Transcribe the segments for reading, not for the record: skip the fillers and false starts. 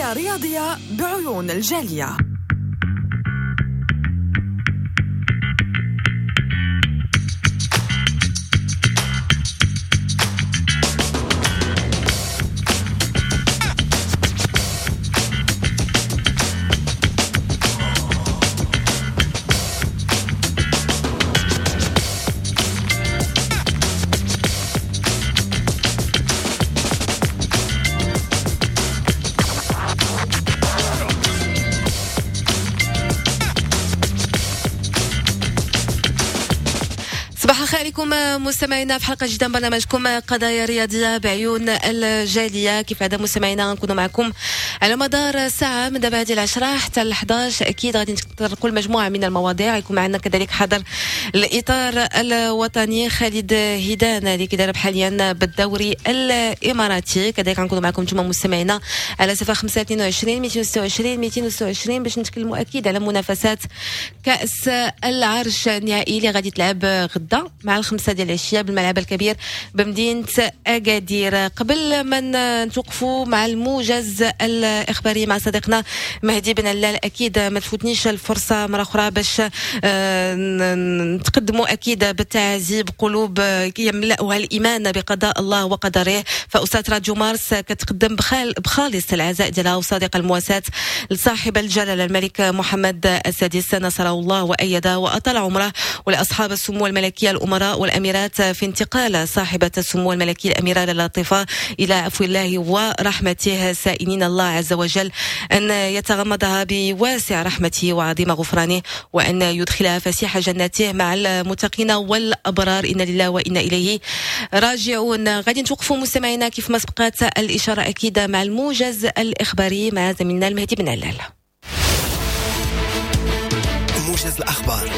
قضايا رياضية بعيون الجالية. عليكم مستمعينا في حلقة جديدة من برنامجكم قضايا رياضية بعيون الجالية. كيف عادة مستمعينا نكونوا معكم على مدار ساعة من دابا هذه 10 حتى 11. اكيد غادي نتطرقوا لمجموعة من المواضيع. يكون معنا كذلك حاضر الاطار الوطني خالد هيدان اللي كيدرب حاليا بالدوري الاماراتي. كذلك غنكونوا معكم نتوما مستمعينا على 0522 226 226 باش نتكلموا اكيد على منافسات كاس العرش النهائي اللي غادي تلعب غدا مع 5 ديال العشية بالملعب الكبير بمدينة اكادير. قبل ما نتوقفوا مع الموجز الاخباري مع صديقنا مهدي بن علال، اكيد ما تفوتنيش الفرصة مرة اخرى باش نتقدموا اكيد بالتعازي بقلوب يملأها الايمان بقضاء الله وقدره. فأسرة راديو مارس كتقدم بخالص العزاء ديالها وصادق المواساة لصاحب الجلاله الملك محمد السادس نصره الله وايده واطال عمره، ولاصحاب السمو الملكية الامراء والاميرات في انتقال صاحبه السمو الملكي الاميرة لطيفة الى عفو الله ورحمته، سائلين الله عز وجل ان يتغمدها بواسع رحمته وعظيم غفرانه، وان يدخلها فسيح جناته مع المتقين والابرار. انا لله وانا اليه راجعون. غادي نتوقفوا مستمعينا كيف ما سبقت الاشارة اكيد مع الموجز الاخباري مع زميلنا المهدي بن علال. موجز الاخبار.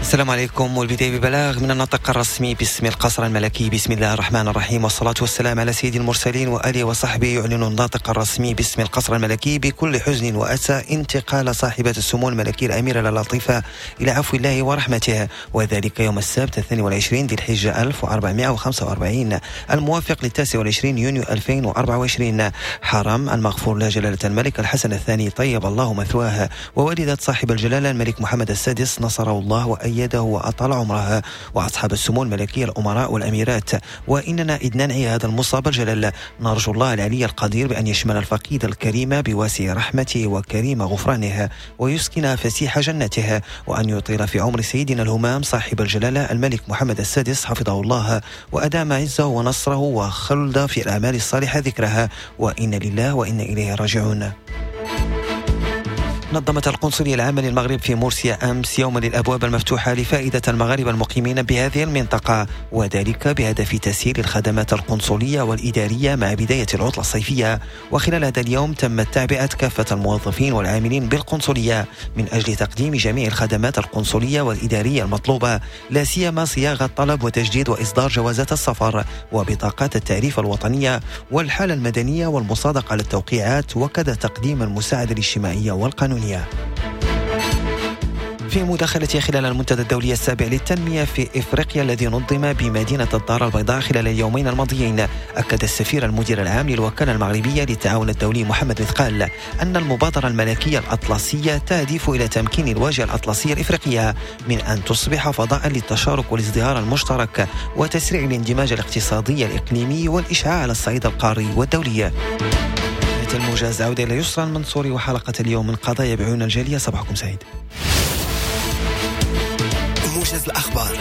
السلام عليكم. والبداية ببلاغ من الناطق الرسمي باسم القصر الملكي. بسم الله الرحمن الرحيم، والصلاة والسلام على سيد المرسلين وآله وصحبه. يعلن الناطق الرسمي باسم القصر الملكي بكل حزن وأسى انتقال صاحبة السمو الملكي الأميرة لطيفة إلى عفو الله ورحمته، وذلك يوم السبت 22 ذي الحجة 1445 الموافق لل 29 يونيو 2024. حرم المغفور له جلالة الملك الحسن الثاني طيب الله مثواه، ووالدة صاحب الجلالة الملك محمد السادس نصره الله وأيده وأطال عمرها، وأصحاب السمو الملكي الأمراء والأميرات. وإننا إذ ننعي هذا المصاب الجلال نرجو الله العلي القدير بأن يشمل الفقيد الكريم بواسع رحمته وكريم غفرانه، ويسكن فسيح جنته، وأن يطيل في عمر سيدنا الهمام صاحب الجلالة الملك محمد السادس حفظه الله، وأدام عزه ونصره وخلد في الأعمال الصالحة ذكرها. وإن لله وإن إليه راجعون. نظمت القنصلية العامة للمغرب في مورسيا أمس يوما للأبواب المفتوحة لفائدة المغاربة المقيمين بهذه المنطقة، وذلك بهدف تسهيل الخدمات القنصلية والإدارية مع بداية العطلة الصيفية. وخلال هذا اليوم تمت تعبئة كافة الموظفين والعاملين بالقنصلية من أجل تقديم جميع الخدمات القنصلية والإدارية المطلوبة، لا سيما صياغة طلب وتجديد وإصدار جوازات السفر وبطاقات التعريف الوطنية والحالة المدنية والمصادقة على التوقيعات، وكذا تقديم المساعدة الاجتماعية والقانونية. في مداخلته خلال المنتدى الدولي السابع للتنمية في إفريقيا الذي نظم بمدينة الدار البيضاء خلال اليومين الماضيين، أكد السفير المدير العام للوكالة المغربية للتعاون الدولي محمد مثقال أن المبادرة الملكية الأطلسية تهدف إلى تمكين الواجهة الأطلسية الإفريقية من أن تصبح فضاء للتشارك والازدهار المشترك وتسريع الاندماج الاقتصادي الإقليمي والإشعاع على الصعيد القاري والدولي. الموجز عودة إلى يسرى المنصوري وحلقة اليوم من قضايا بعيون الجالية. صباحكم سعيد. موجز الأخبار.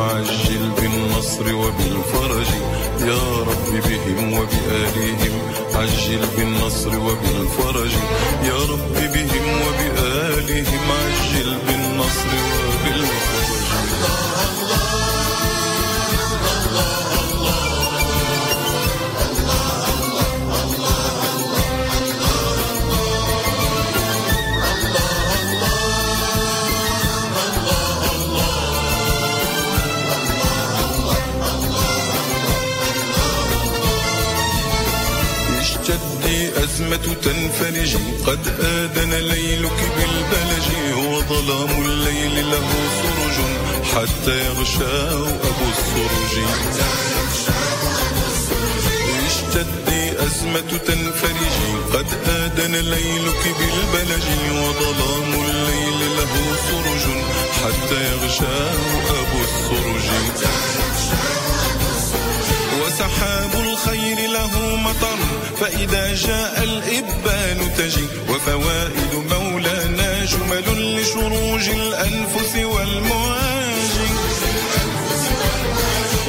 عجل بالنصر وبالفرج يا رب بهم وبآلهم، عجل بالنصر بالنصر وبالفرج. يا رب بهم وبآلهم عجل بالنصر وبالفرج. أزمة تنفرج قد آذن ليلك بالبلج، وظلام الليل له سرج حتى يغشاه أبو السرج. اشتدي أزمة تنفرج قد آذن ليلك بالبلج، وظلام الليل له سرج حتى يغشاه أبو السرج. وسحاب الخير له مطر فإذا جاء الإبان تجي، وفوائد مولانا جمل لشروج الأنفس والمواج.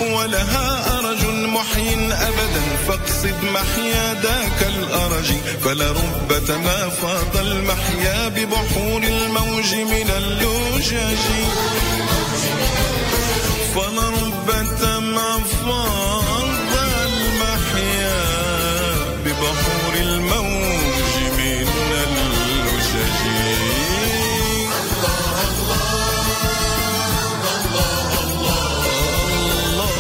ولها أرج محي أبدا فاقصد محيا ذاك الأرج، فلرب ما فاض المحيا ببحور الموج من اللجج. فلرب ما فاض المحيا ببحور الموج من اللجج. الله الله الله الله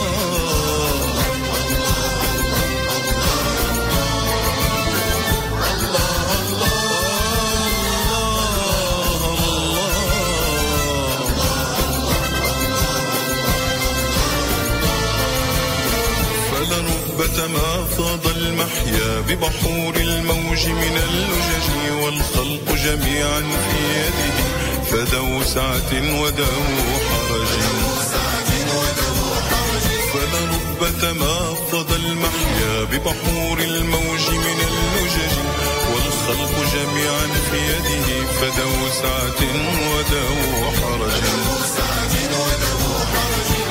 فلرب ما فاض المحيا ببحور الموج من اللجج، والخلق جميعا في يده فذو سعة وذو حرج. فلرب ما فاض المحيا ببحور الموج من اللجج، والخلق جميعا في يده فذو سعة وذو حرج.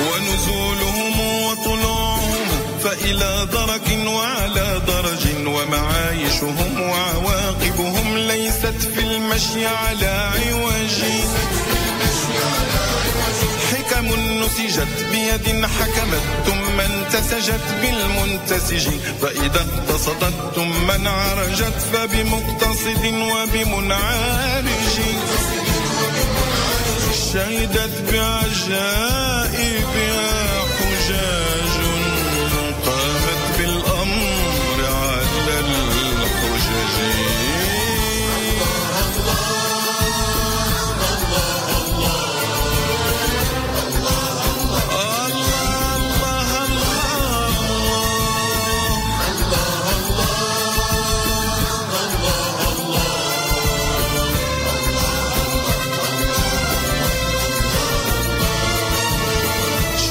ونزولهم وطلوعهم فإلى درك وعلى درج، ومعايشهم وعواقبهم ليست في المشي على عوج. حكم نسجت بيد حكمت ثم انتسجت بالمنتسج، فإذا اقتصدت ثم انعرجت فبمقتصد وبمنعرج. شهدت بعجائبها حجاج قامت بالأمر على الحجج.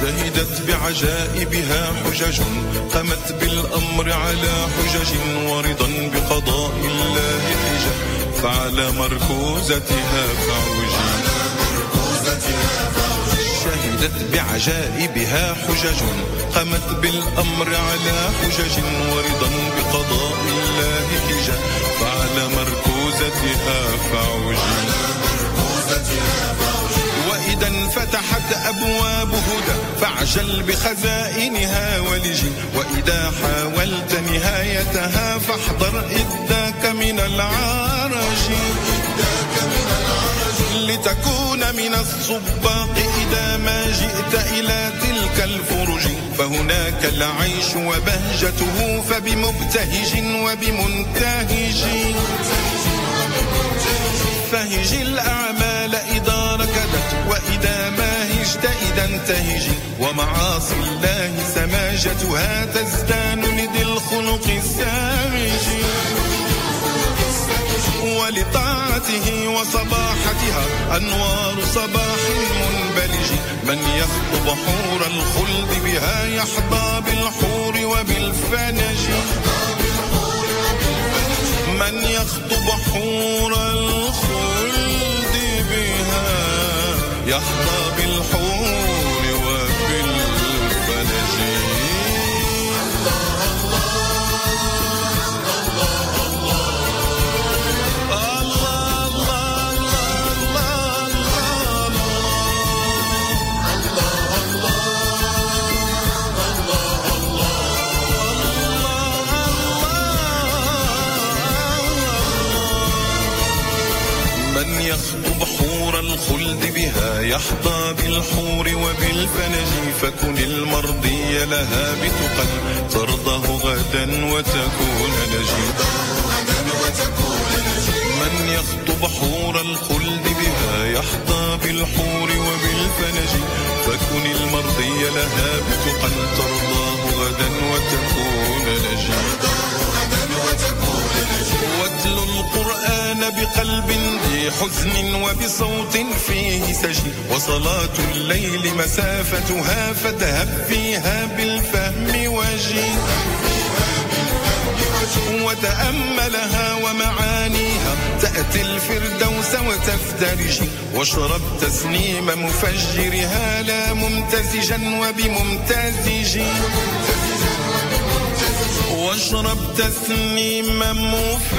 شهدت بعجائبها حجج قامت بالأمر على حجج، ورضا بقضاء الله حجة فعلى مركوزتها فعوج. شهدت بعجائبها حجج قامت بالأمر على حجج، ورضا بقضاء الله حجة فعلى مركوزتها فعوج. وإذا انفتحت أبواب هدى فاعجل بخزائنها ولج، وإذا حاولت نهايتها فاحضر إذاك من العرج، لتكون من السباق إذا ما جئت إلى تلك الفرج، فهناك العيش وبهجته فبمبتهج وبمنتهج. فهج الأعمال إذا ركدت وإذا ما هجت إذا انتهج، ومعاصي الله سماجتها تزدان لذي الخلق السامج. ولطاعته وصباحتها أنوار صباح منبلج، من يخطب حور الخلد بها يحظى بالحور وبالفنج. من يخطب حور الخلد بها يحظى بالحور وبالفنج. الله الله الله الله الخلد بها يحظى بالحور وبالفنج، فكن المرضي لها بتقى ترضاه غدا وتكون نجي. من يخطب حور الخلد بها يحظى بالحور وبالفنج، فكن المرضي لها بتقى ترضاه غدا وتكون نجي. واتل القرآن بقلب ذي حزن وبصوت فيه سجن، وصلاة الليل مسافتها فاذهب فيها بالفهم وجي، وتأملها ومعانيها تأتي الفردوس وتفترج، واشرب تسنيم مفجرها لا ممتزجا وبممتزج، واشرب تسنيم مفجرها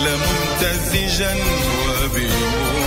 لا ممتزجا وبممتزج.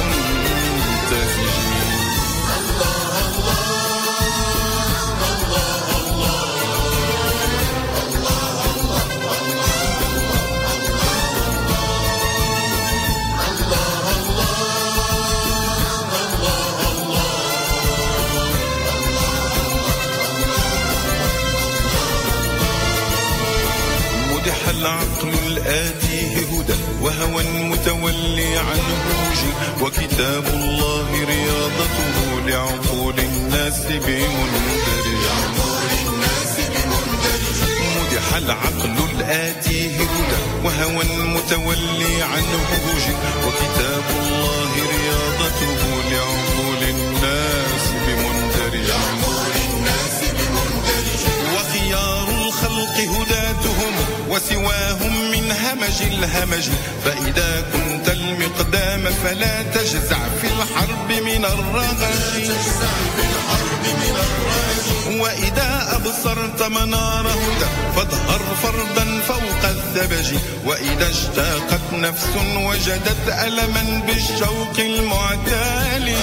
العقل الآتيه هدى وهوى متولي عنه وجي، وكتاب الله رياضته لعقول الناس بمندرج. مدح العقل الآتيه هدى وهوى متولي عنه وجي، وكتاب الله رياضته لعقول الناس بمندرج. وخيار الخلق هداتهم وسواهم من همج الهمج، فإذا كنت المقدام فلا تجزع في الحرب من الرغج. وإذا أبصرت منار هدى فاظهر فردا فوق الثبج، وإذا اشتاقت نفس وجدت ألما بالشوق المعتالج.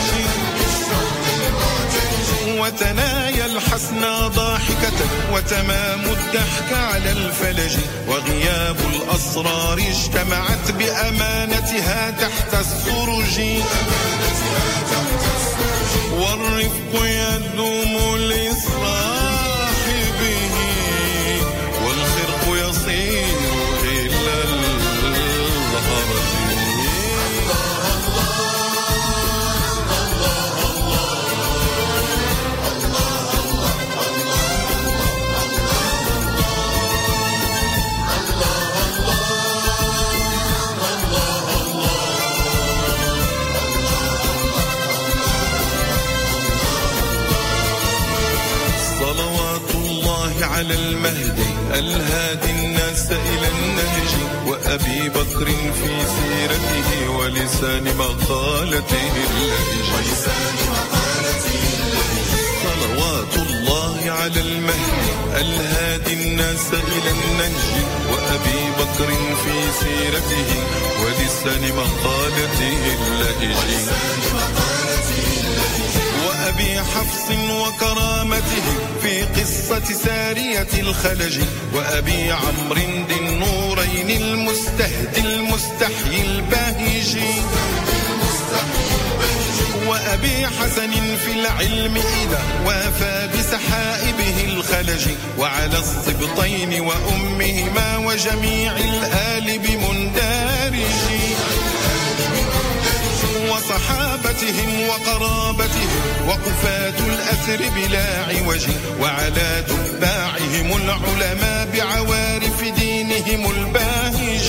وتنايا الحسنى ضاحكة وتمام الضحك على الفلج، وغياب الأسرار اجتمعت بأمانتها تحت السرج. والرفق يدوم لصاحبه والخرق يصير إلى الهرج. على المهدي الهادي الناس إلى النهج، وأبي بكر في سيرته ولسان مقالته اللهج. صلوات الله على المهدي الهادي الناس إلى النهج، وأبي بكر في سيرته ولسان مقالته اللهج. وأبي حفص وكرامته في قصة سارية الخلج، وأبي عمرو ذي النورين المستهدي المستحيي الباهج، وأبي حسن في العلم إذا وافى بسحائبه الخلج، وعلى السبطين وأمهما وجميع الآل بمندارج، وصحابتهم وقرابتهم وقفاة الأثر بلا عوج، وعلى تباعهم العلماء بعوارف دينهم الباهج.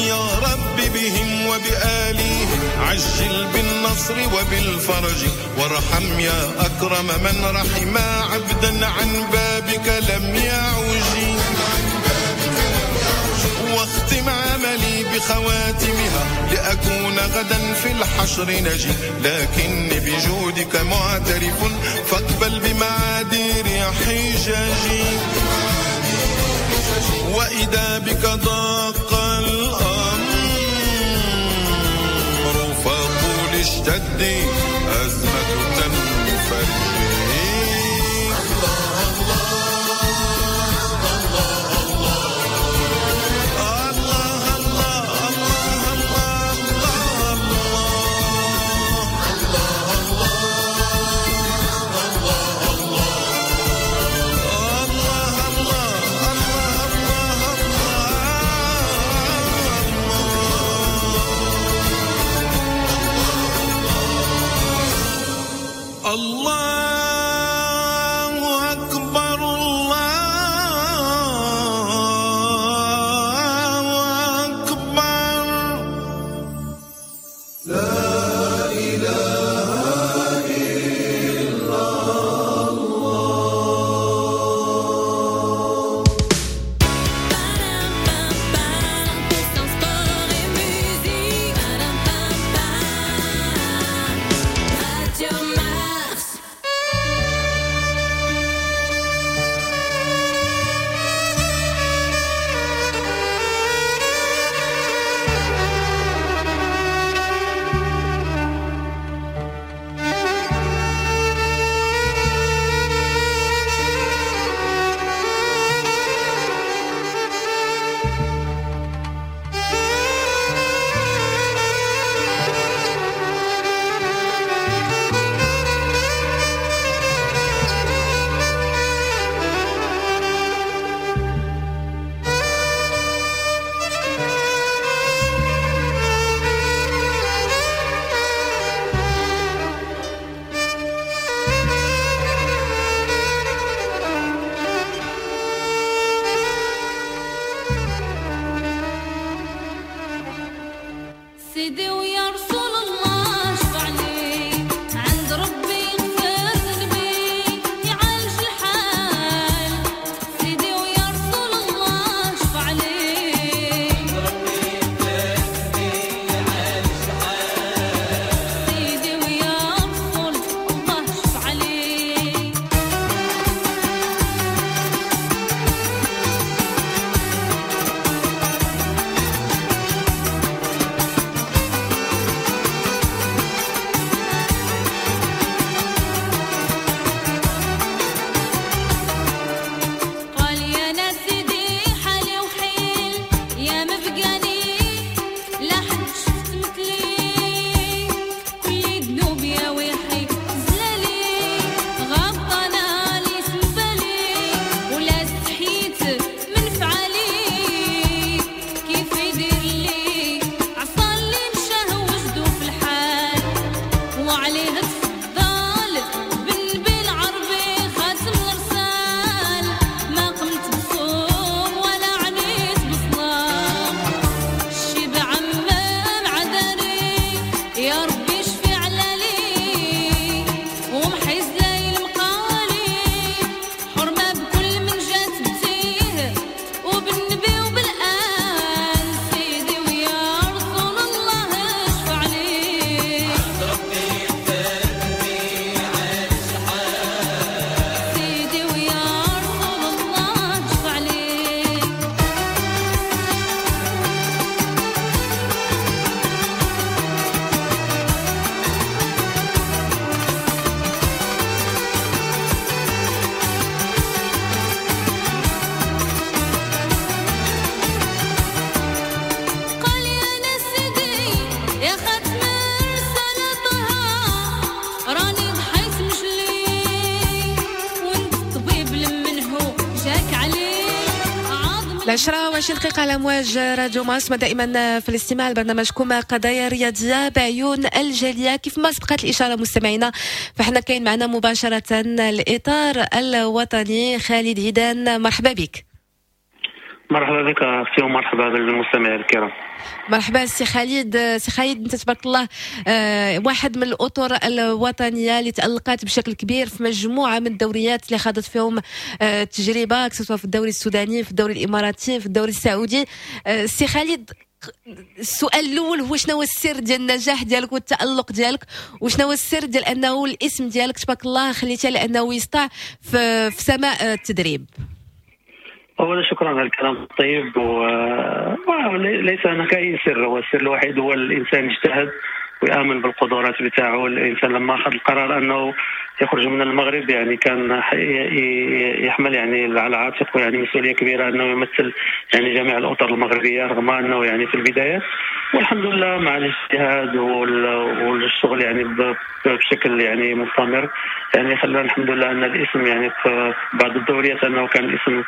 يا رب بهم وبآليهم عجل بالنصر وبالفرج، وارحم يا أكرم من رحم عبدا عن بابك لم يعج. واختم عملي بخواتمها لأكون غدا في الحشر نجي، لكني بجودك معترف فاقبل بمعادير حجاجي. وإذا بك ضاق الأمر فقل اشتدي أزمة تنفرجي. الله الله الله 10:20 على أمواج راديو مارس، دائما في الاستماع لبرنامجكم قضايا رياضية بعيون الجالية. كيف ما سبقت الإشارة مستمعينا، فحنا كاين معنا مباشرة الإطار الوطني خالد هيدان. مرحبا بك. مرحبا بك اختي ومرحبا بالمستمعين الكرام. مرحبا سي خالد. سي خالد، انت تبارك الله واحد من الاطر الوطنية اللي تالقت بشكل كبير في مجموعة من الدوريات اللي خاضت فيهم تجربه، سواء في الدوري السوداني، في الدوري الاماراتي، في الدوري السعودي. سي خالد، السؤال الاول هو شنو هو السر ديال النجاح ديالك والتالق ديالك، وشنو هو السر ديال انه الاسم ديالك تبارك الله خليته لانه يسطع في سماء التدريب؟ اولا شكرا على الكلام الطيب، وليس هناك اي سر، هو السر الوحيد هو الانسان يجتهد ويامن بالقدرات بتاعه. الانسان لما اخذ القرار انه يخرج من المغرب يعني كان يحمل يعني على عاتقه يعني مسؤولية كبيرة انه يمثل يعني جميع الاطر المغربية، رغم انه يعني في البداية، والحمد لله مع الاجتهاد والشغل يعني بشكل يعني مستمر يعني خلى الحمد لله ان الاسم يعني في بعض الدوريات انه كان الاسم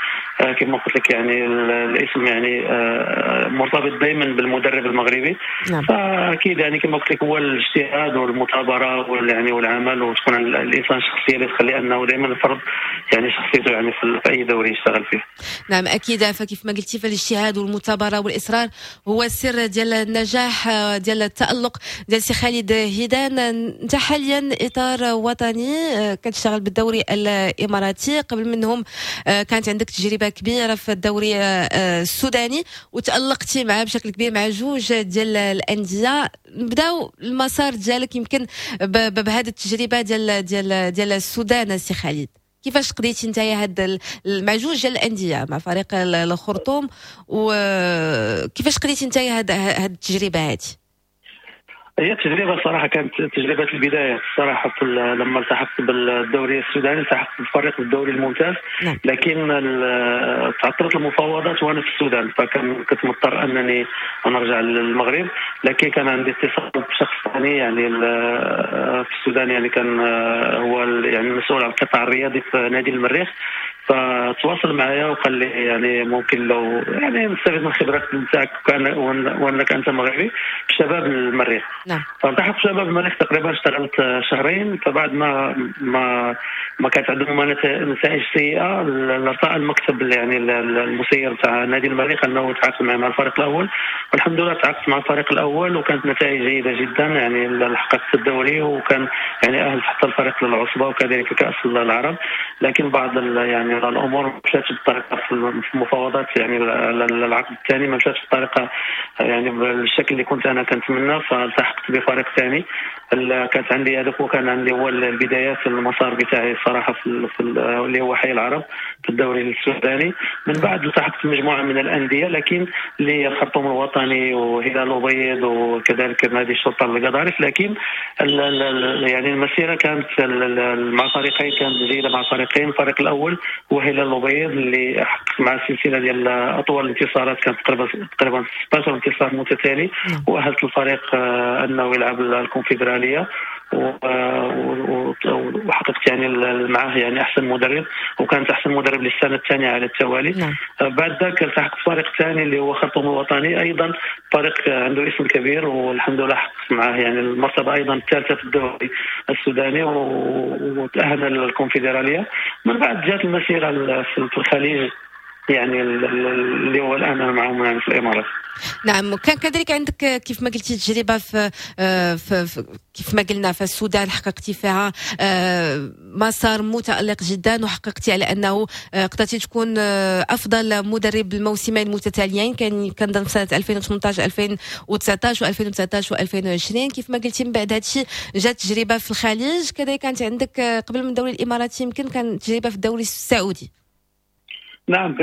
كما قلت لك يعني الاسم يعني مرتبط دائما بالمدرب المغربي. نعم. فاكيد يعني كما قلت لك هو الاجتهاد والمثابرة يعني والعمل، وتكون الانسان شخصية اللي تخلي انه دائما يفرض يعني شخصيته يعني في اي دوري يشتغل فيه. نعم اكيد، فكيف ما قلتي فالاجتهاد والمثابرة والاصرار هو السر ديال النجاح ديال التالق ديال سي خالد هيدان. انت حاليا اطار وطني كتشتغل بالدوري الاماراتي، قبل منهم كانت عندك تجربه كبيرة في الدوري السوداني وتالقتي معاه بشكل كبير مع جوج ديال الاندية. نبداو المسار ديالك يمكن بهذه التجربة ديال ديال ديال السودان. سي خالد، كيفاش قضيتي انت هاد مع جوج ديال الاندية، مع فريق الخرطوم، وكيفاش قضيتي انت هاد التجربة هذه؟ هي التجربة الصراحة كانت تجربه البداية الصراحة. لما التحقت بالدوري السوداني التحقت بالفريق بالدوري الممتاز. نعم. لكن تعثرت المفاوضات وانا في السودان، فكان كنت مضطر انني نرجع للمغرب. لكن كان عندي اتصال بشخص ثاني يعني في السودان، يعني كان هو يعني المسؤول عن القطاع الرياضي في نادي المريخ، فتواصل معايا وقال لي يعني ممكن لو يعني نستفيد من خبرتك نتاعك وانك انت مغربي في شباب المريخ. نعم. فالتحقت شباب المريخ تقريبا اشتغلت شهرين، فبعد ما ما ما كانت عندهم نتائج سيئه ارتأى المكتب يعني المسير تاع نادي المريخ انه تعاقد مع الفريق الاول، والحمد لله تعاقدت مع الفريق الاول وكانت نتائج جيدة جدا، يعني حققت الدوري وكان يعني اهل حتى الفريق للعصبه وكذلك كاس العرب. لكن بعض يعني الامور مشات بالطريقة في المفاوضات يعني العقد الثاني ما مشاتش بالطريقة يعني بالشكل اللي كنت انا كنتمنى، فالتحقت بفريق ثاني. كانت عندي هذاك وكان عندي هو البدايات المسار بتاعي الصراحة في اللي هو حي العرب في الدوري السوداني. من بعد التحقت بمجموعه من الاندية، لكن اللي الخرطوم الوطني وهلال الابيض وكذلك نادي الشرطة القضارف. لكن يعني المسيرة كانت مع فريقين كانت جيدة مع فريقين. الفريق الاول هو هلال الابيض اللي حقق مع سلسلة ديال اطول الانتصارات، كانت تقريبا 16 انتصار متتالي، واهلت الفريق انه يلعب الكونفدراليه وحققت يعني معه يعني احسن مدرب، وكانت احسن مدرب للسنة الثانية على التوالي. نعم. بعد ذاك التحقت فريق ثاني اللي هو خرطوم الوطني، ايضا فريق عنده اسم كبير والحمد لله حققت معه يعني المرتبة ايضا الثالثة في الدوري السوداني وتاهل للكونفدراليه. من بعد جات المسيرة في الخليج يعني اللي هو الان انا معهم يعني في الامارات. نعم، كان كذلك عندك كيف ما قلتي تجربه في كيف ما قلنا في السودان، حققتي فيها مسار متالق جدا، وحققتي على انه قدرتي تكون افضل مدرب الموسمين المتتاليين، كان كنظن في سنة 2018 2019 و2019 و2020. كيف ما قلتي من بعد هذا الشيء جات تجربه في الخليج، كذلك كانت عندك قبل من الدوري الاماراتي يمكن كان تجربه في الدوري السعودي. نعم،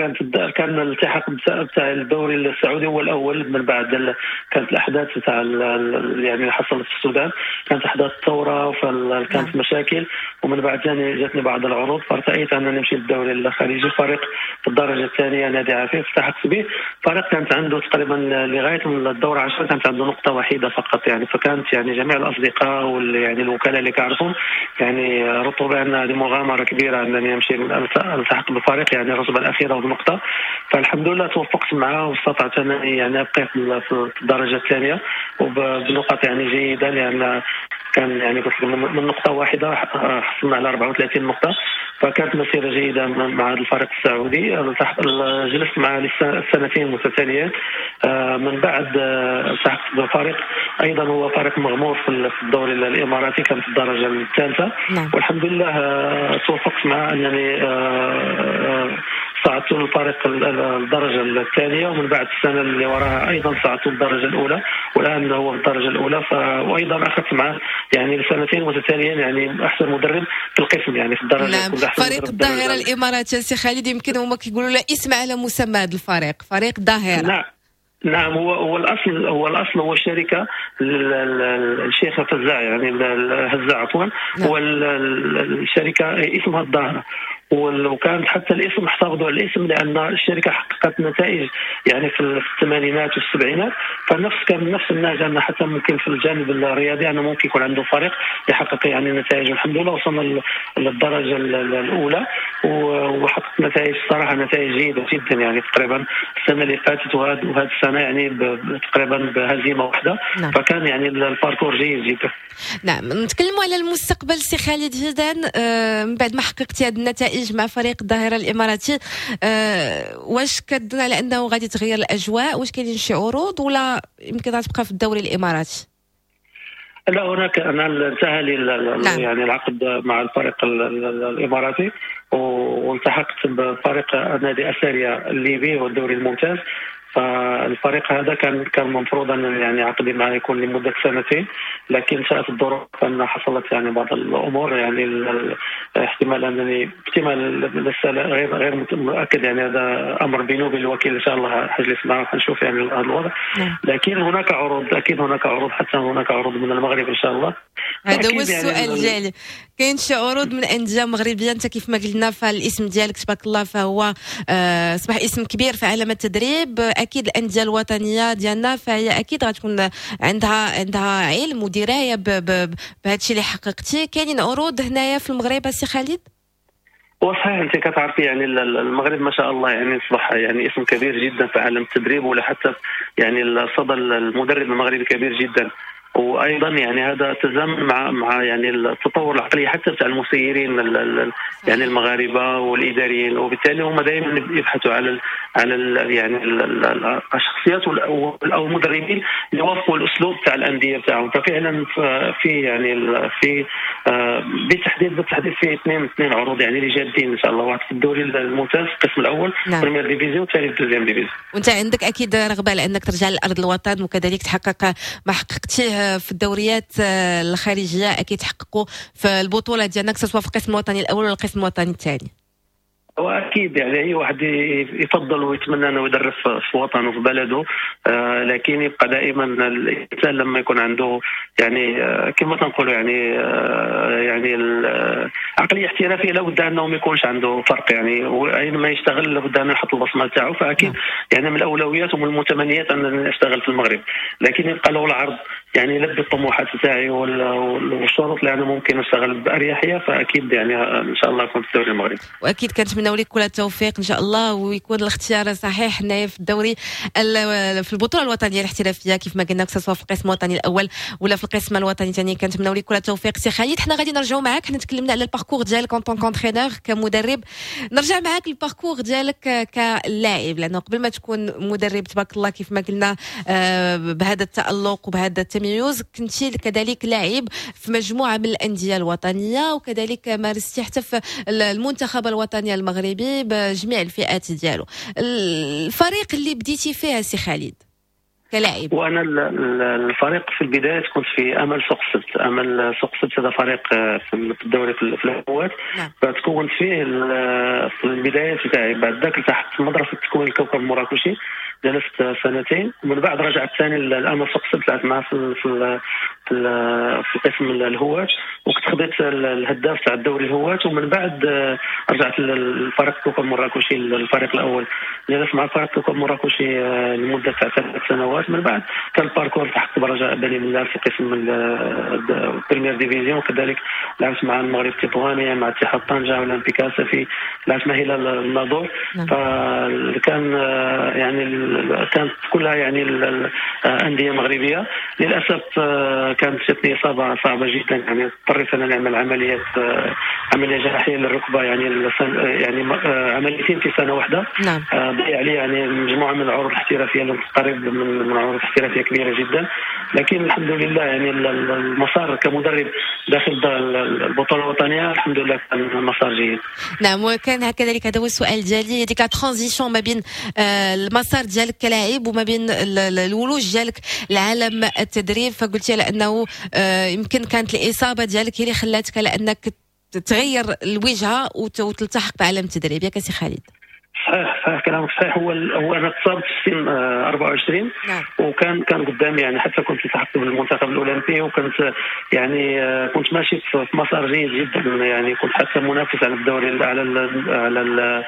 كان الالتحاق بتاع الدوري السعودي هو الاول. من بعد كانت الاحداث تاع يعني اللي حصلت في السودان، كانت احداث الثورة فكانت مشاكل، ومن بعد جاتني بعض العروض فارتأيت ان نمشي للدوري الخليجي. فريق في الدرجة الثانية نادي عفيف التحقت به، فريق كانت عنده تقريبا لغاية الدور 10 كانت عنده نقطة وحيده فقط يعني، فكانت يعني جميع الاصدقاء يعني الوكلاء اللي كنعرفهم يعني رطوا بان هذه مغامرة كبيرة انني امشي التحق بالفريق يعني الرتبة الاخيرة وبنقطه. فالحمد لله توفقت معه واستطعت انني يعني ابقى في الدرجة الثانية وبنقاط يعني جيدة، لان كان يعني قلت من نقطة واحدة حصلنا على 34 نقطة، فكانت مسيره جيدة مع الفريق السعودي. جلست معه لسنتين متتاليات. من بعد التحقت بفريق ايضا هو فريق مغمور في الدوري الاماراتي، كان في الدرجة الثالثة. نعم. والحمد لله توفقت معه انني صعدت الفريق الدرجة الثانية، ومن بعد السنة اللي وراها ايضا صعدت الدرجة الاولى، والان هو في الدرجة الاولى. وايضا اخذت معه يعني لسنتين متتاليين يعني احسن مدرب في القسم، يعني في الدرجة. نعم. فريق الظاهرة الاماراتي سي خالد، يمكن هما كيقولوا له اسم على مسمى هذا الفريق، فريق الظاهرة. نعم نعم، هو الاصل، هو الاصل هو الشركة الشيخ فزاع، يعني هزاع عفوا. نعم. هو الشركة اسمها الظاهرة، وكانت حتى الاسم احتفظوا على الاسم لان الشركة حققت نتائج يعني في الثمانينات والسبعينات، فنفس كان نفس النهج ان حتى ممكن في الجانب الرياضي انه ممكن يكون عنده فريق يحقق يعني نتائج. والحمد لله وصلنا للدرجة الاولى وحققت نتائج صراحة نتائج جيدة جدا، يعني تقريبا السنة اللي فاتت وهذه السنة يعني تقريبا بهزيمة واحدة. نعم. فكان يعني ال parcours جيد جدا. نعم، نتكلموا على المستقبل سي خالد هيدان. من بعد ما حققتي هذه النتائج مع فريق الظاهرة الإماراتي، واش كتظن على أنه غادي تغير الأجواء؟ واش كاينين شي عروض ولا يمكن تبقى في الدوري الإماراتي؟ لا، هناك أنا انتهى لي. نعم. يعني العقد مع الفريق الإماراتي، والتحقت بفريق نادي أساريا الليبي والدوري الممتاز. فالفريق هذا كان المفروض ان يعني عقدي معه يكون لمدة سنتين، لكن شاءت الظروف ان حصلت يعني بعض الامور، يعني احتمال انني احتمال لسه غير متاكد، يعني هذا امر بيني وبين الوكيل، ان شاء الله حجلس معه وحنشوف يعني هذا الوضع. لكن هناك عروض، اكيد هناك عروض، حتى هناك عروض من المغرب ان شاء الله. هذا هو السؤال يعني ديالي، كاين شي عروض من اندية مغربية؟ انت كيف ما قلنا فالاسم ديالك تبارك الله فهو اصبح اسم كبير في عالم التدريب. اكيد الاندية الوطنية ديالنا فهي اكيد غتكون عندها علم ودراية بهذا الشيء اللي حققتي. كاينين عروض هنايا في المغرب سي خالد؟ وصحيح انت كتعرفي يعني المغرب ما شاء الله يعني اصبح يعني اسم كبير جدا في عالم التدريب، ولا حتى يعني الصدى المدرب المغربي كبير جدا. وايضا يعني هذا تزامن مع يعني التطور العقلي حتى تاع المسيرين يعني المغاربة والاداريين، وبالتالي هم دائما يبحثوا على يعني الشخصيات او المدربين اللي يوافقوا الاسلوب تاع الاندية تاعهم. ففعلا في يعني في بالتحديد في اثنين عروض يعني اللي جادين ان شاء الله، واحد في الدوري الممتاز القسم الاول. نعم. première division، والثاني في ال deuxième division. وانت عندك اكيد رغبة لانك ترجع لارض الوطن وكذلك تحقق ما حققتيه في الدوريات الخارجية، اكيد تحققوا في البطولة ديالنا سواء في القسم الوطني الاول ولا القسم الوطني الثاني. واكيد يعني اي واحد يفضل ويتمنى انه يدرب في وطنه وفي بلده، لكن يبقى دائما الانسان لما يكون عنده يعني كما تنقولوا يعني يعني العقلية احترافية، لابد انه ما يكونش عنده فرق، يعني اينما يشتغل لابد انه يحط البصمة تاعو. فاكيد يعني من الاولويات ومن المتمنيات ان اشتغل في المغرب، لكن يبقى له العرض يعني يلبي الطموحات تاعي والشروط اللي انا ممكن اشتغل باريحية، فاكيد يعني ان شاء الله اكون في الدوري المغربي. واكيد كنتمناو لك كل التوفيق ان شاء الله، ويكون الاختيار صحيح هنايا في الدوري في البطولة الوطنية الاحترافية كيف ما قلنا، سواء في القسم الوطني الاول ولا في القسم الوطني الثاني. كنتمناو لك كل التوفيق سي خالد. حنا غادي نرجعوا معاك، حنا تكلمنا على ال parcours ديالك en tant qu'entraîneur كمدرب، نرجع معاك ال parcours ديالك كلاعب، لانه قبل ما تكون مدرب تبارك الله كيف ما قلنا بهذا التالق وبهذا التميز، كنتي كذلك لاعب في مجموعة من الاندية الوطنية، وكذلك مارستي حتى في المنتخب الوطني المغربي بجميع الفئات ديالو. الفريق اللي بديتي فيه سي خالد كلاعب؟ وانا الفريق في البداية كنت في امل سوق السبت. امل سوق السبت هذا فريق في الدوري في الهواة. نعم. فتكونت فيه في البداية تاعي. بعد ذاك التحقت مدرسه تكوين الكوكب المراكشي، جلست سنتين، ومن بعد رجعت ثاني للامل سوق السبت، لعبت معاه في في في قسم الهواة، وكنت خديت الهداف تاع الدوري الهواة. ومن بعد رجعت للفريق الكوكب المراكشي الفريق الاول، جلست مع الفريق الكوكب المراكشي لمدة تاع 3 سنوات. من بعد كان ال parcours التحقت برجاء بني ملال في قسم ال première division، وكذلك لعبت مع المغرب التطواني، مع اتحاد طنجه، اولمبيك اسفي. لعبت مع هلال الناظور. فكان يعني كانت كلها يعني الاندية مغربية. للاسف كانت جاتني اصابه صعبة جدا، يعني اضطريت انا نعمل عملية جراحية للركبه، يعني عمليتين في سنة واحدة. نعم. ضيع لي يعني مجموعة من العروض الاحترافية اللي تقريب من عروض احترافية كبيرة جدا، لكن الحمد لله يعني المسار كمدرب داخل البطولة الوطنية الحمد لله كان مسار جيد. نعم، وكان كذلك هذا هو السؤال ديالي، ديك la transition ما بين المسار ديالك كلاعب وما بين الولوج ديالك لعالم التدريب، فقلتي على انه يمكن كانت الاصابة ديالك هي اللي خلاتك على انك تغير الوجهة وتلتحق بعالم التدريب، ياك سي خالد؟ صحيح كلامك صحيح. هو انا تصابت في سن 24. نعم. وكان قدامي يعني حتى كنت التحقت بالمنتخب الاولمبي، وكنت يعني كنت ماشي في مسار جيد جدا، يعني كنت حتى منافس على الدوري على ال على ال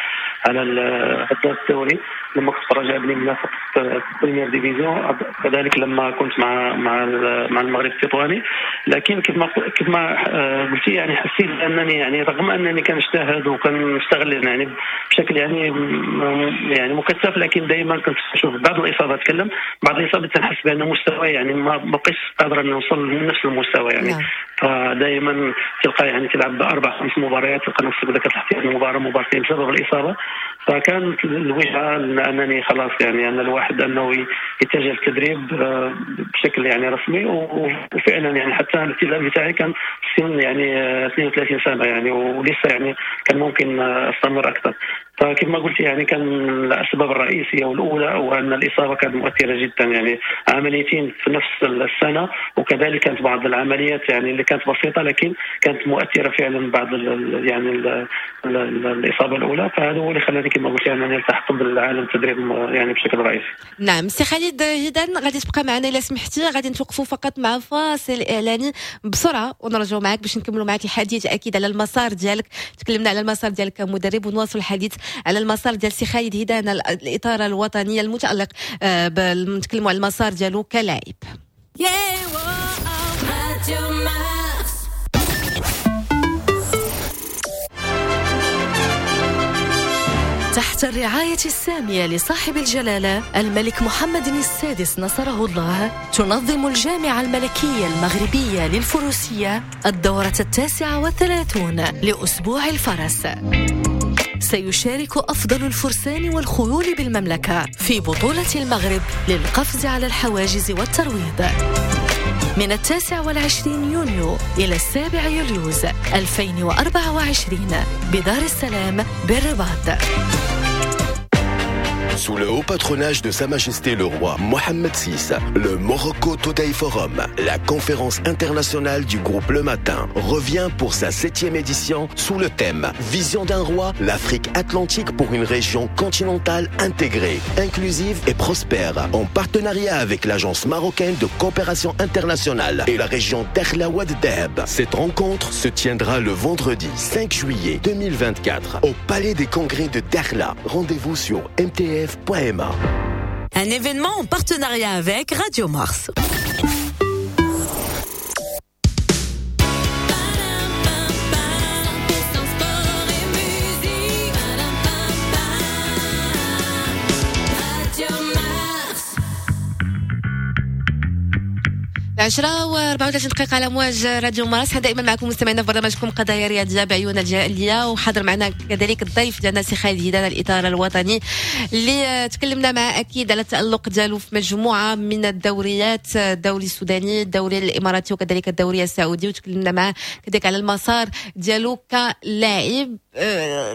على الهداف الدوري لما كنت في رجاء بني ملال في première division، كذلك لما كنت مع مع مع المغرب التطواني. لكن كيف ما قلتي يعني حسيت انني يعني رغم انني كنجتهد وكنشتغل يعني بشكل يعني مكثف، لكن دائما كنت اشوف بعض الاصابات، تكلم بعض الاصابات تنحس بان مستواي يعني ما بقيتش قادر ان نوصل لنفس المستوى يعني. نعم. فدائما تلقى يعني تلعب 4-5 مباريات تلقى نفسك بدك تحتاج مباراة مباراتين بسبب الاصابة. فكانت الوجهة انني خلاص يعني ان الواحد انه يتجه للتدريب بشكل يعني رسمي، وفعلا يعني حتى الاعتزال بتاعي كان في سن يعني 32 سنة يعني، ولسه يعني كان ممكن استمر اكثر. فكما ما قلت يعني كان الاسباب الرئيسية والاولى هو ان الاصابة كانت مؤثرة جدا، يعني عمليتين في نفس السنة، وكذلك كانت بعض العمليات يعني اللي كانت بسيطة لكن كانت مؤثرة فعلا بعد يعني الاصابة الاولى. فهذا هو اللي خلاني كما قلت يعني التحق بالعالم التدريب يعني بشكل رئيسي. نعم سي خالد هيدان غادي تبقى معنا الا سمحتي، غادي نتوقفوا فقط مع فاصل اعلاني بسرعة ونرجعوا معك باش نكملوا معك الحديث اكيد على المسار ديالك. تكلمنا على المسار ديالك كمدرب ونواصل الحديث على المسار ديال سي خالد هيدان الإطارة الوطنية المتألق، نتكلموا على المسار ديالو كلاعب. تحت الرعاية السامية لصاحب الجلالة الملك محمد السادس نصره الله، تنظم الجامعة الملكية المغربية للفروسية الدورة 39 لأسبوع الفرس. سيشارك أفضل الفرسان والخيول بالمملكة في بطولة المغرب للقفز على الحواجز والترويض من 29 يونيو إلى 7 يوليو 2024 بدار السلام بالرباط. Sous le haut patronage de Sa Majesté le Roi Mohammed VI, le Morocco Today Forum, la conférence internationale du groupe Le Matin, revient pour sa 7e édition sous le thème Vision d'un roi, l'Afrique atlantique pour une région continentale intégrée, inclusive et prospère, en partenariat avec l'Agence marocaine de coopération internationale et la région Dakhla Oued Dahab. Cette rencontre se tiendra le vendredi 5 juillet 2024 au Palais des Congrès de Dakhla. Rendez-vous sur mtf.ma. Un événement en partenariat avec Radio Mars. 10:34 على مواج راديو مارس. دائما معكم مستمعينا في برنامجكم قضايا رياضية بعيون الجالية، وحاضر معنا كذلك الضيف ديالنا سي خالد هيدان الإطار الوطني اللي تكلمنا معه أكيد على التألق ديالو في مجموعة من الدوريات، الدوري السوداني، الدوري الإماراتي وكذلك الدوري السعودي، وتكلمنا معه كذلك على المسار ديالو كلاعب.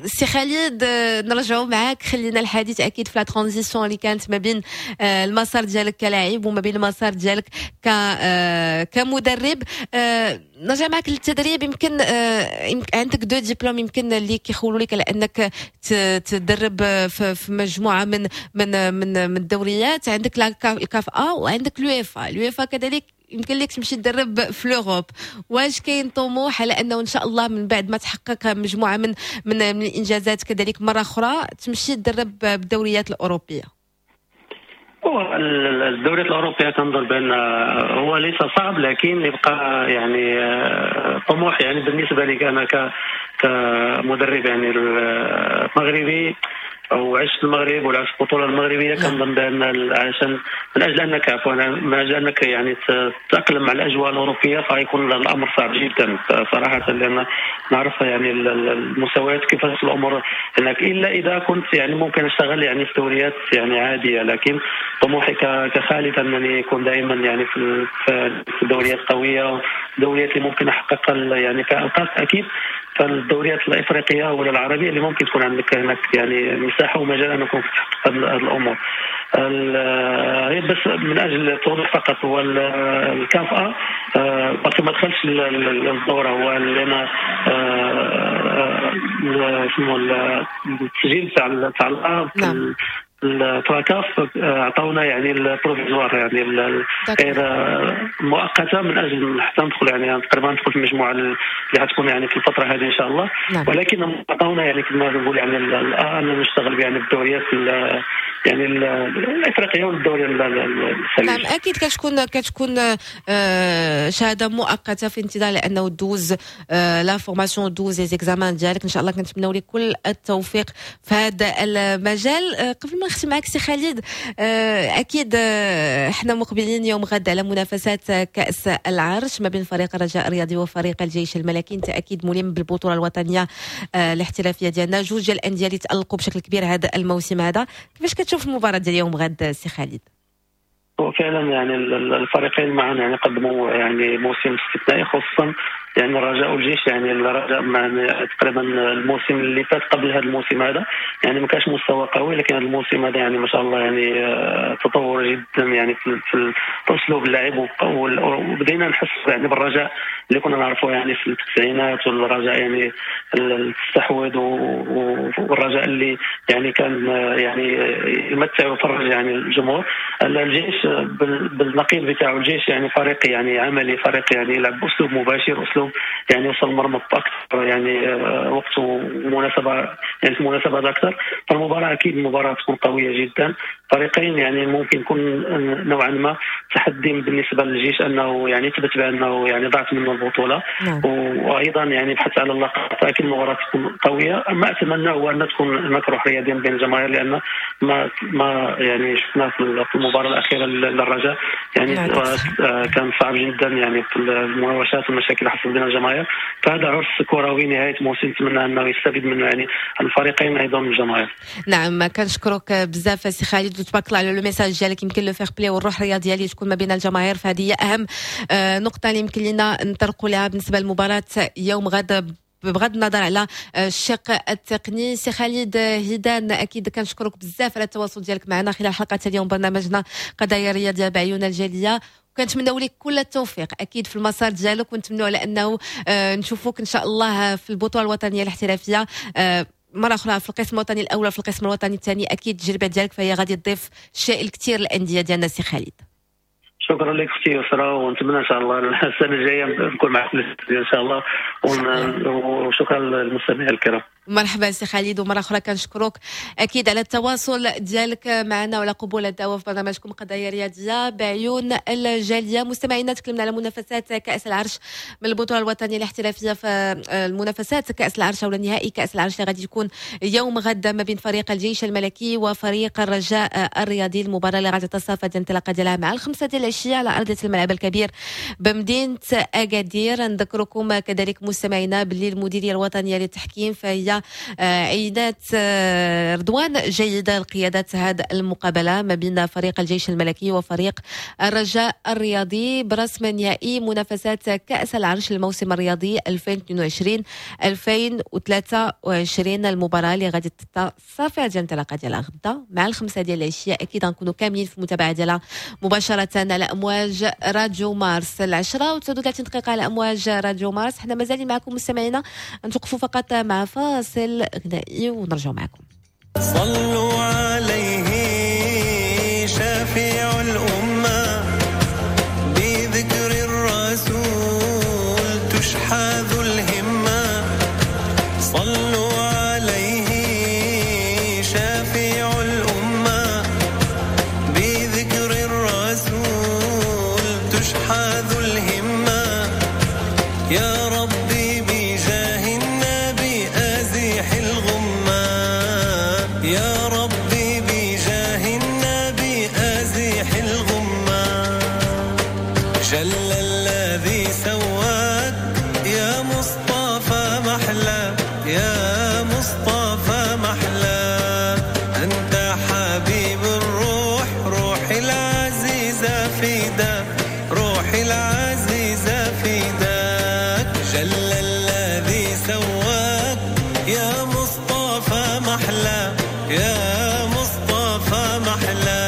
سي خالد نرجعوا معاك، خلينا الحديث اكيد في la transition اللي كانت ما بين المسار ديالك كلاعب وما بين المسار ديالك كمدرب. نرجع معاك للتدريب، يمكن عندك deux diplômes يمكن اللي كيخولوا لك على انك تدرب في مجموعة من من من من الدوريات، عندك ال CAF A وعندك l'UEFA، l'UEFA كذلك يمكن لك تمشي تدرب في l'Europe. واش كاين طموح على انه ان شاء الله من بعد ما تحقق مجموعة من من من الانجازات كذلك مرة اخرى تمشي تدرب بالدوريات الاوروبية؟ هو الدوريات الاوروبية كنظن بان هو ليس صعب، لكن يبقى يعني طموح يعني بالنسبة لي انا كمدرب يعني مغربي او عشت في المغرب ولعبت في البطولة المغربية، كنظن بان عشان من اجل انك عفوا من اجل انك يعني تتاقلم مع الاجواء الاوروبية فغيكون الامر صعب جدا صراحة، لان نعرف يعني المستويات كيفاش الامور هناك، الا اذا كنت يعني ممكن اشتغل يعني في دوريات يعني عادية، لكن طموحي كخالد انني يكون دائما يعني في دوريات قوية، دوريات اللي ممكن احقق يعني كالقاب اكيد. فالدوريات الافريقية ولا العربية اللي ممكن تكون عندك هناك يعني مساحة ومجال ان يكون تحقق هذه الامور. بس من اجل التوضيح فقط، هو الكاف ا باقي ما دخلش الدورة، هو لان اسمه التسجيل تاع الأ التراكاف عطاونا يعني ال provisoire يعني غير مؤقتة من اجل حتى ندخل يعني تقريبا ندخل في المجموعة اللي غتكون يعني في الفترة هذه ان شاء الله. نعم. ولكن عطاونا يعني كما نقول يعني الان نشتغل يعني بالدوريات يعني الافريقية والدوري الخليجي. نعم اكيد كتكون شهادة مؤقتة في انتظار لانه دوز la formation، دوز les examens ديالك. ان شاء الله كنتمناو لك كل التوفيق في هذا المجال. قبل ما نختم معك سي خالد، اكيد احنا مقبلين يوم غد على منافسات كاس العرش ما بين فريق الرجاء الرياضي وفريق الجيش الملكي. انت اكيد ملم بالبطولة الوطنية الاحترافية ديالنا، جوج ديال الاندية اللي تالقوا بشكل كبير هذا الموسم هذا، كيفاش كتشوف المباراة ديال يوم غد سي خالد؟ وفعلا يعني الفريقين معا يعني قدموا يعني موسم استثنائي، خصوصا يعني الرجاء والجيش. يعني الرجاء تقريبا الموسم اللي فات قبل هذا الموسم هذا يعني ما كانش مستوى قوي، لكن هذا الموسم هذا يعني ما شاء الله يعني تطور جدا يعني في اسلوب اللعب، وبدينا نحس يعني بالرجاء اللي كنا نعرفه يعني في التسعينات، والرجاء يعني التستحوذ، والرجاء اللي يعني كان يعني يمتع ويفرج يعني الجمهور. الجيش بالنقيض بتاعه، الجيش يعني فريق يعني عملي، فريق يعني يلعب باسلوب مباشر، اسلوب يعني يوصل المرمى اكثر يعني وقت ومناسبة يعني في مناسبات اكثر. فالمباراه اكيد المباراة تكون قوية جدا، فريقين يعني ممكن يكون نوعا ما تحدي بالنسبة للجيش انه يعني يثبت بانه يعني ضاعت منه البطولة. نعم. وايضا يعني بحث على اللقب، فاكيد المباراة تكون قوية. ما اتمنى هو ان تكون هناك روح رياضية بين الجماهير، لان ما يعني شفنا في المباراة الاخيرة للرجاء يعني كان صعب جدا يعني في المناوشات والمشاكل اللي حصلت بين الجماهير. فهذا عرس كروي نهاية موسم، نتمنى انه يستفيد منه يعني الفريقين ايضا الجماهير. نعم كنشكرك بزاف سي خالد، وتبارك الله على le message ديالك، يمكن le fair-play والروح الرياضية اللي تكون ما بين الجماهير، فهذه هي اهم نقطة اللي يمكن لنا نطرقوا لها بالنسبة لمباراة يوم غد بغض النظر على الشق التقني. سي خالد هيدان، اكيد كنشكرك بزاف على التواصل ديالك معنا خلال حلقة اليوم برنامجنا قضايا رياضية بعيون الجالية، وكنتمناو لك كل التوفيق اكيد في المسار ديالك، ونتمنوا على انه نشوفوك ان شاء الله في البطولة الوطنية الاحترافية مرة اخرى في القسم الوطني الاول، في القسم الوطني الثاني. اكيد التجربة ديالك فهي غادي تضيف الشيء الكثير للاندية ديالنا سي خالد. شكرا لك اختي يسرا، ونتمنى ان شاء الله السنة الجاية نكون معك ان شاء الله، وشكرا للمستمعين الكرام. مرحبا سي خالد، ومرة اخرى كنشكرك اكيد على التواصل ديالك معنا وعلى قبول الدعوة في برنامجكم قضايا رياضية بعيون الجالية. مستمعينا، تكلمنا على منافسات كاس العرش من البطولة الوطنية الاحترافية، في المنافسات كاس العرش او النهائي كاس العرش اللي غادي يكون يوم غد ما بين فريق الجيش الملكي وفريق الرجاء الرياضي. المباراة اللي غادي تصافى الانطلاقة ديالها مع 5 ديال العشية على ارضية الملعب الكبير بمدينة اكادير. نذكركم كذلك مستمعينا باللي المديرية الوطنية للتحكيم فهي عينات رضوان جيدة لقيادة هذه المقابلة ما بين فريق الجيش الملكي وفريق الرجاء الرياضي برسم نهائي منافسات كأس العرش الموسم الرياضي 2022-2023. المباراة اللي غادي صافي ديال الانطلاقة ديالها غدا مع 5 ديال العشية، أكيد غنكونوا كاملين في المتابعة ديالها مباشرة على أمواج راديو مارس. 10:39 دقيقة على أمواج راديو مارس. حنا مازالين معكم مستمعينا، نتوقفوا فقط مع فاصل غنائي ونرجع معكم. صلوا عليه شافع الأمة، بذكر الرسول تشحذ الهمة. صلوا عليه شافع الأمة، بذكر الرسول تشحذ الهمة. يا ربي بجاه النبي أزيح الغمة. يا ربي بجاه النبي أزيح الغمة. جل الذي سواك يا مصطفى محلى، يا مصطفى محلى، أنت حبيب الروح، روحي العزيزة فداك، روحي العزيزة فداك. جل الذي سواك يا مصطفى محلى، يا مصطفى محلى،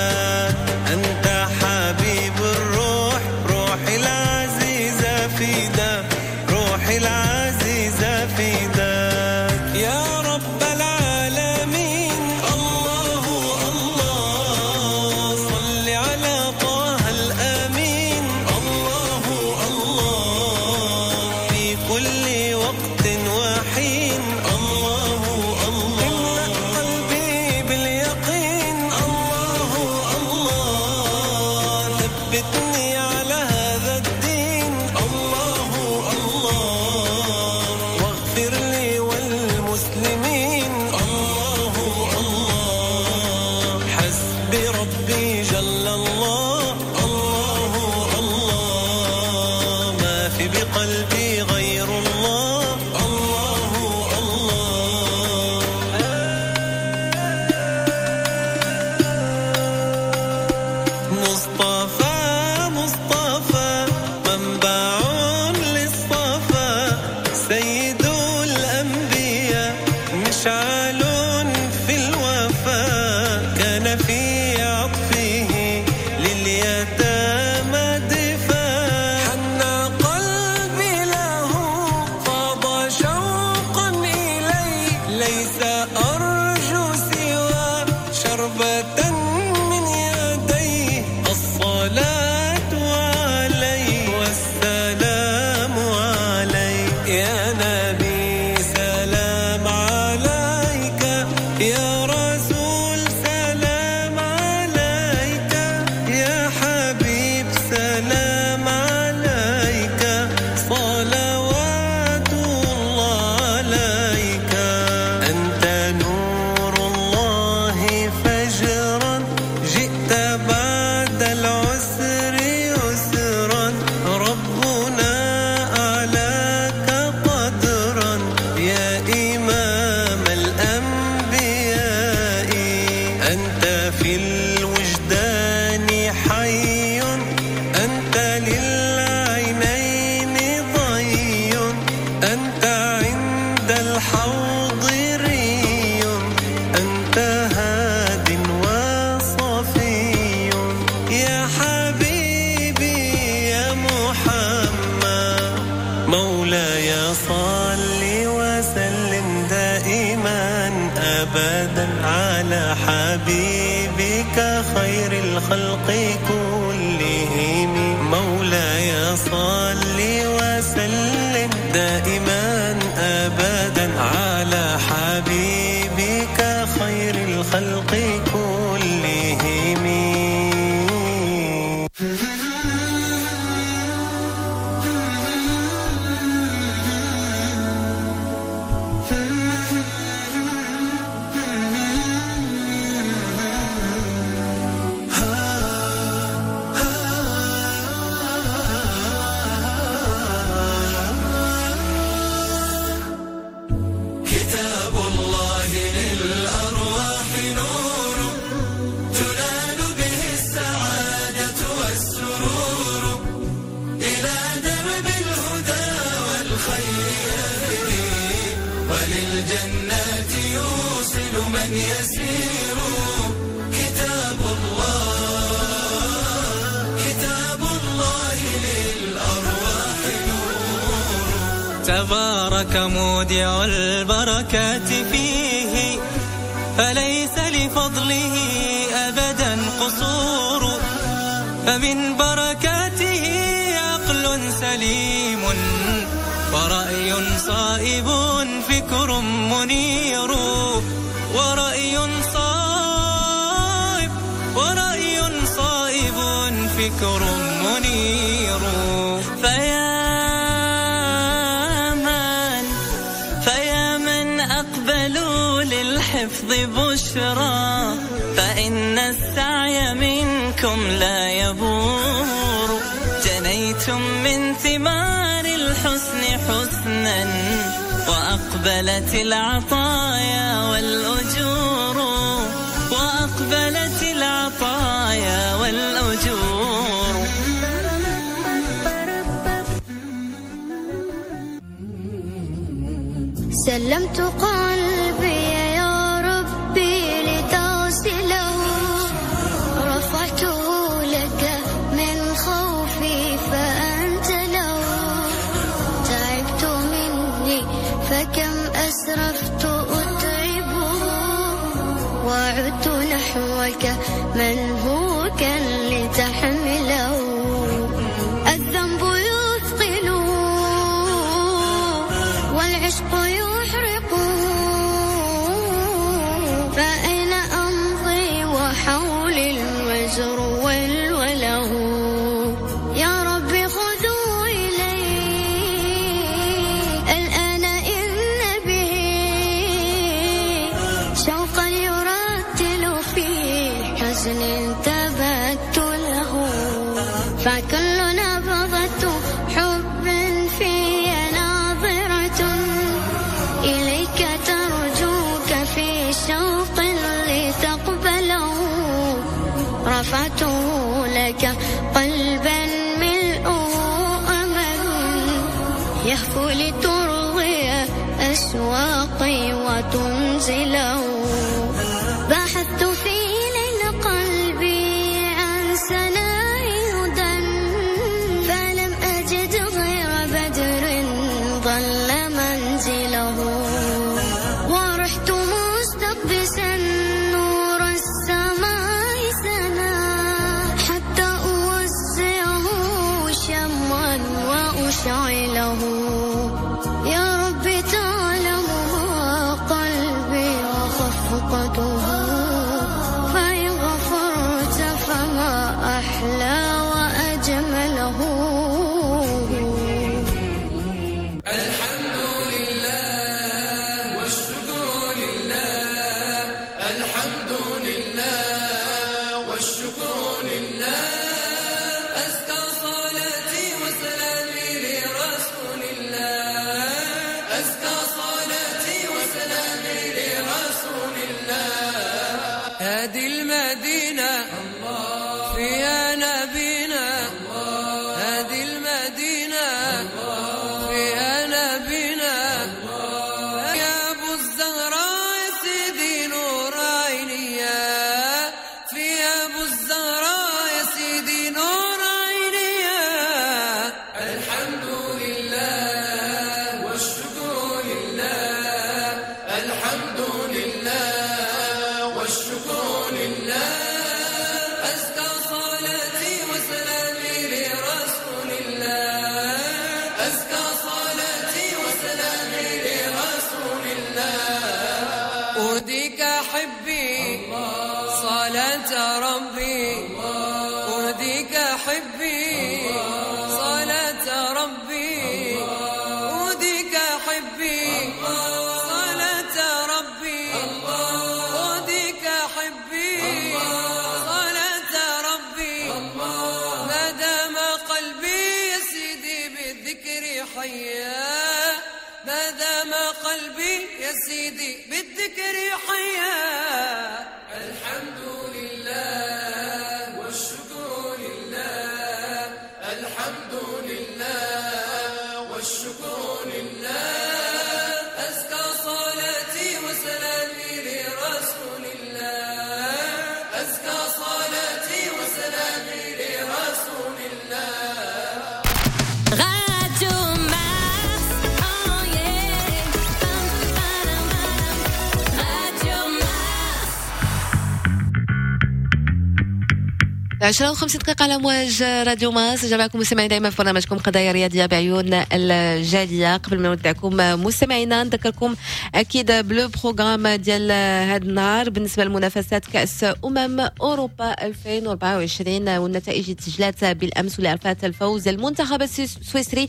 أنت حبيب الروح، روحي العزيزة فداك، روحي العزيزة فداك. يا رب العالمين الله الله، صل على طه الأمين، الله الله، في كل وقت وحين، الله الله، املأ قلبي باليقين، الله الله، ثبتني على هذا الدين، الله الله، واغفر لي والمسلمين، الله الله، حسبي ربي جل الله، الله الله، ما في بقلبي غير الله، الله الله. مصطفى مصطفى منبع للصفا، سيد الأنبياء مشعل في الوفا، كان في عطفه لليتامى دفاع، حن قلبي له فاض شوقا إليه، ليس أرجو سوى شربة من يديه، الصلاة عليه والسلام عليه، يا نبي سلام عليك، يا رسول سلام عليك، يا حبيب سلام عليك، صلوات الله عليك، أنت نور الله فجرا، جئت بعد العسر يسرا، ربنا أعلاك قدرا، يا إمام الأنبياء، أنت في الوجدان حي، أنت للعينين ضي، أنت عند الحوض ري، أنت هاد وصفي، يا حبيبي يا محمد، مولاي صل وسلم دائما أبدا على حبيبك خير الخلق كلهم، مولاي صل وسلم دائما أبدا على حبيبك خير الخلق كلهم. كتاب الله للأرواح نور، تنال به السعادة والسرور، إلى درب الهدى والخير يهدي، وللجنات يوصل من يسير. كتاب الله، كتاب الله للأرواح نور. تبارك مودع البركات فيه، فليس لفضله أبدا قصور، فمن بركاته عقل سليم، ورأي صائب فكر منير، ورأي صائب، ورأي صائب فكر منير. فيا من أقبلوا للحفظ بالحفظ بشرى، فإن السعي منكم لا يبور. جنيتم من ثمار الحسن حسنا، وأقبلت العطايا والأجور، وأقبلت العطايا والأجور. سلمت قلبي يا ربي لتغسله، رفعته لك من خوفي فأنت له. تعبت مني فكم أسرفت أتعبه، وعدت نحوك منهوكا لتحمله. الذنب يثقله والعشق يحرقه، فأين أمضي وحولي الوزر والوله. يا رب خذوا إلي الآن إن به شوقا يرتل في حزن تبتله. فكل نبضة حب في ناظرة إليك ترجوك في شوق لتقبله. رفعته لك قلبا ملؤه أمل، يهفو لترضي أشواقي وتنزله. بحثت في ليل قلبي عن سناء هدى، فلم أجد غير بدر ظل منزله. ورحت مستقبسا نور السماء سنا، حتى أوزعه شمعا وأشعله. يا رب تعلم ما قلبي وخفقته، فإن غفرت فما أحلى وأجمله. الحمد لله والشكر لله، الحمد لله والشكر لله. أزكى صلاتي وسلامي لرسول الله، أزكى صلاتي وسلامي لرسول الله. هذه المدينة فيها نبينا، هذه المدينة فيها نبينا. يا أبو الزهراء يا سيدي نور عيني، في أبو الزهراء يا سيدي نور عيني. الحمد لله والشكر لله، الحمد لله والشكر لله. أزكى صلاتي وسلامي لرسول الله، أزكى صلاتي وسلامي لرسول الله. أهديك حبي صلاة ربي، أهديك حبي صلاة ربي، أهديك حبي صلاة ربي، أهديك حبي صلاة ربي. ما دام قلبي يا سيدي بالذكر حيا، ما دام قلبي يا سيدي بالذكر حيا. الحمد لله والشكر لله، الحمد لله والشكر لله. أزكى صلاتي وسلامي لرسول الله، أزكى صلاتي وسلامي لرسول الله. Radio Mars, oh yeah. Radio Mars. 10:50 على مواج راديو مارس. جمعكم مستمعين دائما في برنامجكم قضايا رياضية بعيون الجاليه. قبل ما نودعكم مستمعينا، نذكركم اكيد ب le programme ديال هذا النهار بالنسبة لمنافسات كاس اوروبا 2024 والنتائج اللي تسجلات بالامس، واللي عرفت الفوز المنتخب السويسري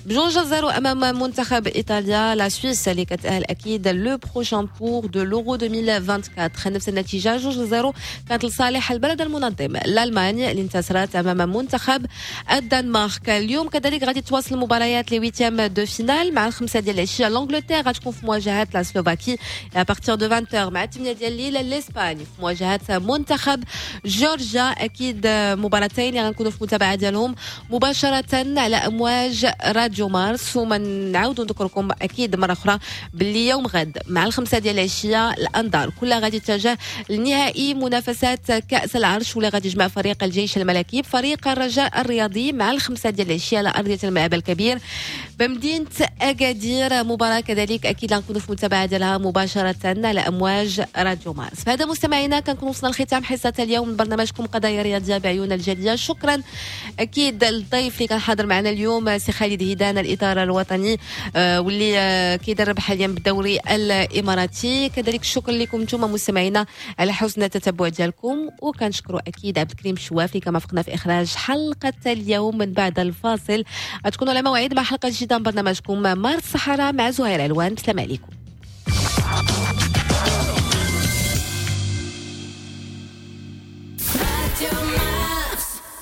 ب2-0 امام منتخب ايطاليا. la Suisse اللي كتاهل اكيد le prochain tour de l'Euro 2024. نفس النتيجة 2-0 كانت لصالح البلد المنظم l'Allemagne اللي انتصرت امام منتخب الدنمارك. اليوم كذلك غادي تواصل المباريات les huitièmes de finale. مع 5 ديال العشية l'Angleterre غتكون في مواجهة la Slovaquie. à partir de 20، مع 8 ديال الليل، l'Espagne في مواجهة منتخب جورجيا. اكيد مباراتين اللي غنكونوا في المتابعة ديالهم مباشرة على امواج راديو مارس. وما نعاودوا نذكركم اكيد مرة اخرى باللي يوم غد مع 5 ديال العشية الانظار كلها غادي تتجه لنهائي منافسات كاس العرش، واللي غادي يجمع فريق الجيش الملكي بفريق الرجاء الرياضي مع 5 ديال العشية على ارضية الملعب الكبير بمدينة اكادير. مباراة كذلك اكيد غنكونوا في المتابعة ديالها مباشرة على امواج راديو مارس. فهذا مستمعينا كنكون وصلنا لختام حصة اليوم من برنامجكم قضايا رياضية بعيون الجاليه. شكرا اكيد للضيف اللي كان حاضر معنا اليوم، سي خالد هيدان، الاطار الوطني واللي كيدرب حاليا بالدوري الاماراتي. كذلك الشكر لكم انتم مستمعينا على حسن التتبع ديالكم، وكنشكروا اكيد عبد الكريم شواف اللي كان مرافقنا في اخراج حلقة اليوم. من بعد الفاصل غتكونوا على موعد مع حلقة جديدة من برنامجكم مارس الصحراء مع زهير علوان. السلام عليكم.